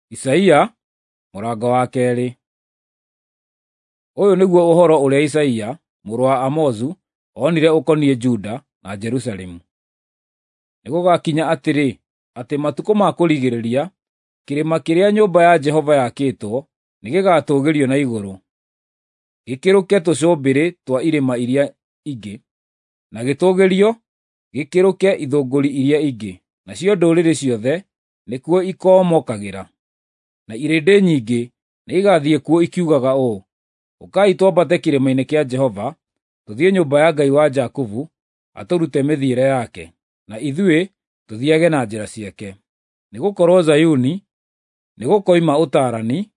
Isaia mũrango wa 2. Ũyũ nĩguo ũhoro ũrĩa Isaia mũrũ wa Amozu onire ũkoniĩ Juda na Jerusalemu. Nĩgũgakinya atĩrĩ, atĩ matukũ ma kũrigĩrĩria, kĩrĩma kĩrĩa nyũmba ya Jehova yakĩtwo nĩgĩgatũũgĩrio na igũrũ, gĩkĩrũke tũcũmbĩrĩ twa irĩma iria ingĩ, na gĩtũũgĩrio gĩkĩrũke ithũngũri iria ingĩ, nacio ndũrĩrĩ ciothe nĩkuo ikoomokagĩra. Na irĩndĩ nyingĩ nĩigathiĩ kuo ikiugaga ũũ, “Ũkai twambate kĩrĩma-inĩ kĩa Jehova, tũthiĩ nyũmba ya Ngai wa Jakubu atũrute mĩthiĩre yake, na ithuĩ tũthiiage na njĩra ciake.” Nĩgũkorwo Zayuni nĩgũkoima ũtaarani,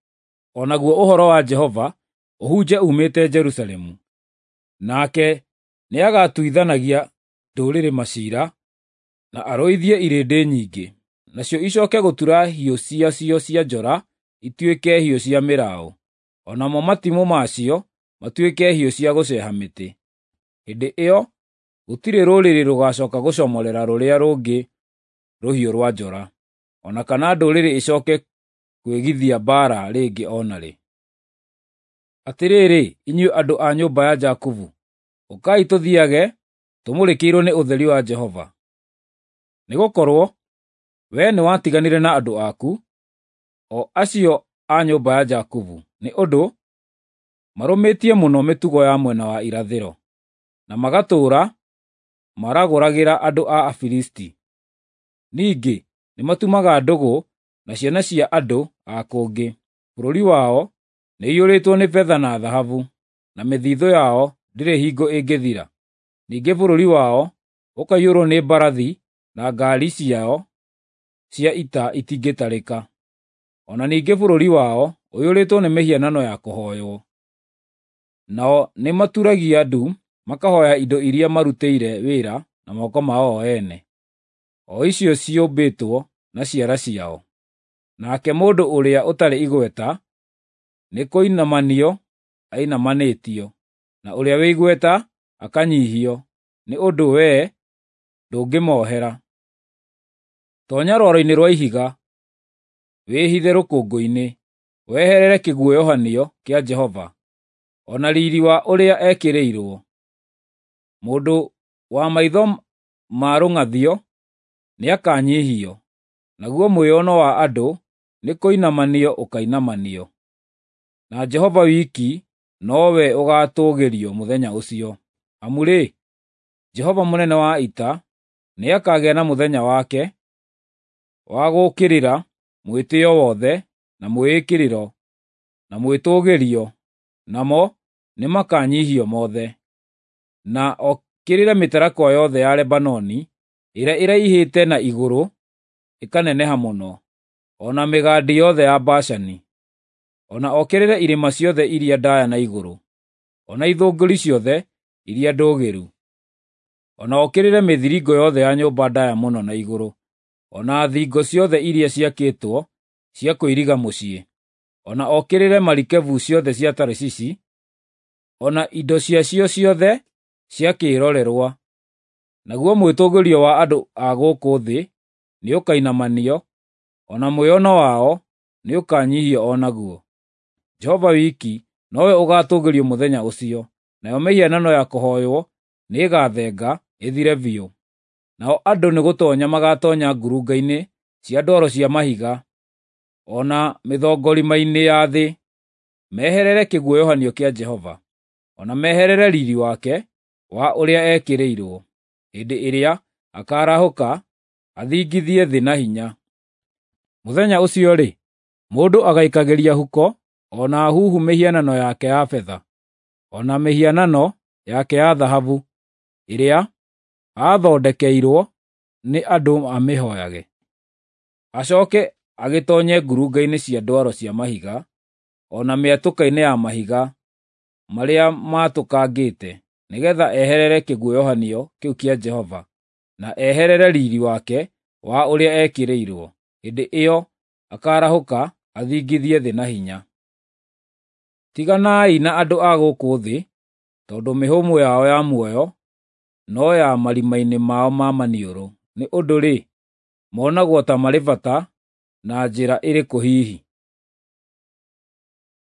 o naguo ũhoro wa Jehova ũhunje uumĩte Jerusalemu. Nake nĩagatuithanagia ndũrĩrĩ maciira na arũithie irĩndĩ nyingĩ, nacio icooke gũtura hiũ ciacio cia njora ituĩke hiũ cia mĩraũ, o namo matimũ macio matuĩke hiũ cia gũceeha mĩtĩ. Hĩndĩ ĩyo gũtirĩ rũrĩrĩ rũgacooka gũcomorera rũrĩa rũngĩ rũhiũ rwa njora, o na kana ndũrĩrĩ icooke kwĩgithia mbaara rĩngĩ o na rĩ. Atĩrĩrĩ, inyuĩ andũ a nyũmba ya Jakubu, ũkai tũthiiage tũmũrĩkĩirwo nĩ ũtheri wa Jehova. Nĩgũkorwo wee nĩwatiganire na andũ aku, o acio a nyũmba ya Jakubu, nĩ ũndũ marũmĩtie mũno mĩtugo ya mwena wa irathĩro, na magatũũra maragũragĩra andũ a Afilisti. Ningĩ nĩmatumaga ndũgũ na ciana cia andũ a kũngĩ. Bũrũri wao nĩũiyũrĩtwo nĩ betha na thahabu, na mĩthithũ yao ndĩrĩ hingo ĩngĩthira. Ningĩ bũrũri wao ũkaiyũrwo nĩ mbarathi na ngaari ciao cia ita itingĩtarĩka. O na ningĩ bũrũri wao ũiyũrĩtwo nĩ mĩhianano ya kũhooywo. Nao nĩmaturagia ndu makahooya indo iria marutĩire wĩra na moko mao o ene, o icio ciũmbĩtwo na ciara ciao. Nake mũndũ ũrĩa ũtarĩ igweta nĩkũinamanio ainamanĩtio, na ũrĩa wĩ igweta akanyiihio, nĩ ũndũ wee ndũngĩmoohera. Toonya rwaro-inĩ rwa ihiga, wĩhithe rũkũngũ-inĩ, weherere kĩguoyohanio kĩa Jehova, o na riiri wa ũrĩa ekĩrĩirwo. Mũndũ wa maitho ma rũng'athio nĩakanyiihio, naguo mwĩono wa andũ nĩkũinamanio ũkainamanio. Na Jehova wiki nowe ũgaatũũgĩrio mũthenya ũcio. Amu-rĩ, Jehova mũnene wa ita nĩakagĩa na mũthenya wake wa gũũkĩrĩra mwĩtĩĩo wothe na mwĩĩkĩrĩro na mwĩtũũgĩrio, namo nĩmakanyiihio mothe. Na okĩrĩre mĩtarakwa yothe ya Lebanoni ĩrĩa ĩraihĩte na igũrũ ĩkaneneha mũno, o na mĩgandi yothe ya Bashani. O na okĩrĩre irĩma ciothe iria ndaaya na igũrũ, o na ithũngũri ciothe iria ndũũgĩru. O na okĩrĩre mĩthiringo yothe ya nyũmba ndaaya mũno na igũrũ, o na thingo ciothe iria ciakĩtwo cia kũiriga mũciĩ. O na okĩrĩre marikabu ciothe cia Tarishishi, o na indo ciacio ciothe cia kĩĩrorerwa. Naguo mwĩtũũgĩrio wa andũ a gũkũ thĩ nĩũkainamanio, o na mwĩono wao nĩũkanyiihio o naguo. Jehova wiki nowe ũgaatũũgĩrio mũthenya ũcio, nayo mĩhianano ya kũhooywo nĩĩgathenga, ĩthire biũ. Nao andũ nĩgũtoonya magatoonya ngurunga-inĩ cia ndwaro cia mahiga, o na mĩthongorima-inĩ ya thĩ, meherere kĩguoyohanio kĩa Jehova, o na meherere riiri wake wa ũrĩa ekĩrĩirwo, hĩndĩ ĩrĩa akaarahũka athingithie thĩ na hinya. Mũthenya ũcio-rĩ, mũndũ agaikagĩria huko o na huhu mĩhianano yake ya betha, o na mĩhianano yake ya thahabu ĩrĩa aathondekeirwo nĩ andũ amĩhooyage. Acooke agĩtoonye ngurunga-inĩ cia ndwaro cia mahiga, o na mĩatũka-inĩ ya mahiga marĩa maatũkangĩte, nĩgeetha eherere kĩguoyohanio kĩu kĩa Jehova, na eherere riiri wake wa ũrĩa ekĩrĩirwo. Hĩndĩ ĩyo akaarahũka athingithie thĩ na hinya. Tiganai na andũ a gũkũ thĩ, tondũ mĩhũmũ yao ya muoyo no ya marima-inĩ mao ma maniũrũ. Nĩ ũndũ-rĩ, monagwo ta marĩ bata Na njĩra ĩrĩkũ hihi?